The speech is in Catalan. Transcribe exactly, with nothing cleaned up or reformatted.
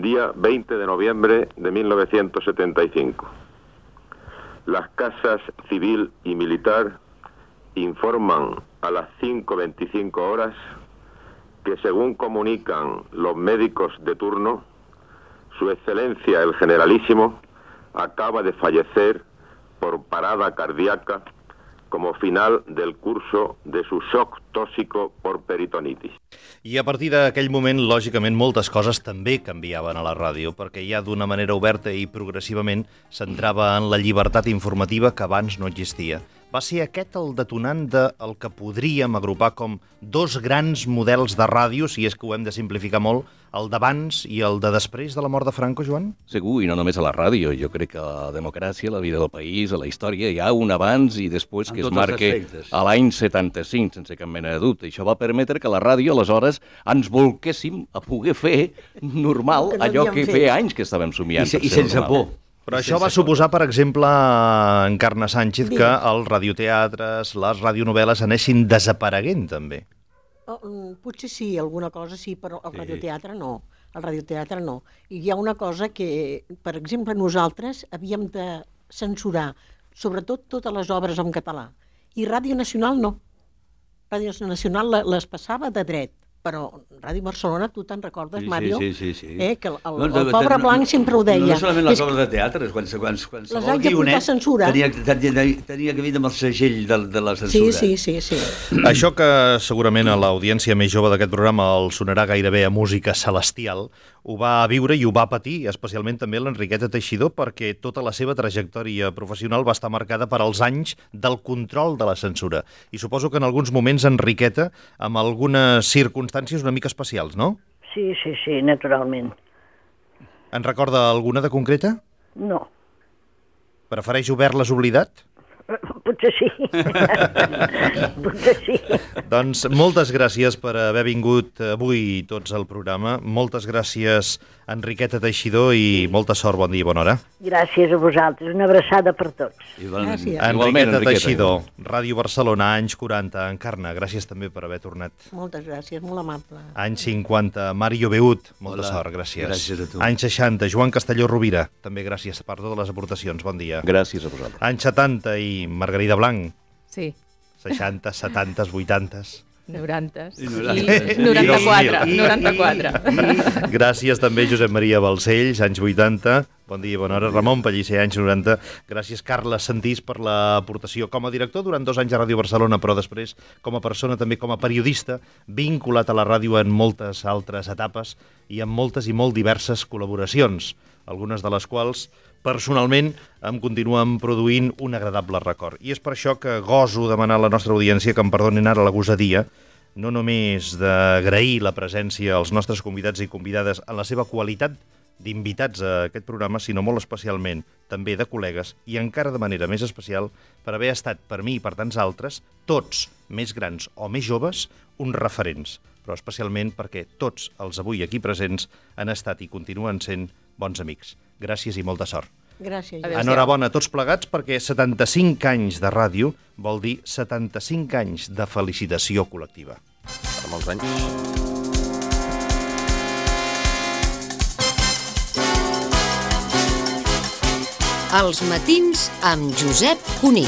día veinte de noviembre de mil novecientos setenta y cinco. Las casas civil y militar informan a las cinco veinticinco horas que, según comunican los médicos de turno, Su Excelencia el Generalísimo acaba de fallecer por parada cardíaca como final del curso de su shock tóxico por peritonitis. I a partir d'aquell moment, lògicament, moltes coses també canviaven a la ràdio, perquè ja d'una manera oberta i progressivament s'entrava en la llibertat informativa que abans no existia. Va ser aquest el detonant del que podríem agrupar com dos grans models de ràdio, si és que ho hem de simplificar molt, el d'abans i el de després de la mort de Franco, Joan? Segur, i no només a la ràdio. Jo crec que a la democràcia, a la vida del país, a la història, hi ha un abans i després que es marca a l'any setanta-cinc, sense cap mena de dubte. Això va permetre que la ràdio, aleshores, ens volquéssim a poder fer normal allò que feia anys que estàvem somiant. I sense por. Però això va suposar, per exemple, Encarna Sánchez, que els radioteatres, les radionovel·les anessin desapareguent, també. Oh, potser sí, alguna cosa sí, però el radioteatre no. El radioteatre no. I hi ha una cosa que, per exemple, nosaltres havíem de censurar, sobretot totes les obres en català. I Ràdio Nacional no. Ràdio Nacional les passava de dret. Però Ràdio Barcelona, tu te'n recordes, Mario? Sí, sí, sí. Eh, que el, el, el pobre Blanc sempre ho deia. No solament les obres de teatre, quan qualsevol guionet tenia, tenia, tenia que venir amb el segell de, de la censura. Sí, sí, sí, sí. Això que segurament a l'audiència més jove d'aquest programa el sonarà gairebé a música celestial, ho va viure i ho va patir, especialment també l'Enriqueta Teixidor, perquè tota la seva trajectòria professional va estar marcada per als anys del control de la censura. I suposo que en alguns moments, Enriqueta, amb algunes circumstàncies una mica especials, no? Sí, sí, sí, naturalment. En recorda alguna de concreta? No. Prefereix haver-les oblidat? Potser sí. Potser sí. Doncs moltes gràcies per haver vingut avui tots al programa. Moltes gràcies, Enriqueta Teixidor, i molta sort, bon dia i bona hora. Gràcies a vosaltres. Una abraçada per tots. Gràcies. Enriqueta Teixidor, Ràdio Barcelona, anys quaranta. Encarna, gràcies també per haver tornat. Moltes gràcies, molt amable. Anys cinquanta, Mario Beut, molta Hola. Sort, gràcies. Gràcies a tu. Anys seixanta, Joan Castelló Rovira, també gràcies per totes les aportacions, bon dia. Gràcies a vosaltres. Anys setanta i Margarida Blanc. Sí. seixanta, setanta, vuitanta. noranta. I noranta-quatre. noranta-quatre. Gràcies també Josep Maria Balcells, anys vuitanta. Bon dia i bona hora. Ramon Pellicer, anys noranta. Gràcies Carles Santís per l'aportació com a director durant dos anys a Ràdio Barcelona, però després com a persona, també com a periodista, vinculat a la ràdio en moltes altres etapes i en moltes i molt diverses col·laboracions, algunes de les quals personalment em continuen produint un agradable record. I és per això que goso demanar a la nostra audiència que em perdonin ara la gosadia, no només d'agrair la presència als nostres convidats i convidades en la seva qualitat d'invitats a aquest programa, sinó molt especialment també de col·legues i encara de manera més especial per haver estat per mi i per tants altres, tots, més grans o més joves, uns referents, però especialment perquè tots els avui aquí presents han estat i continuen sent bons amics. Gràcies i molta sort. Gràcies. Enhorabona a tots plegats perquè setanta-cinc anys de ràdio vol dir setanta-cinc anys de felicitació col·lectiva. Per molts anys. Els matins amb Josep Cuní.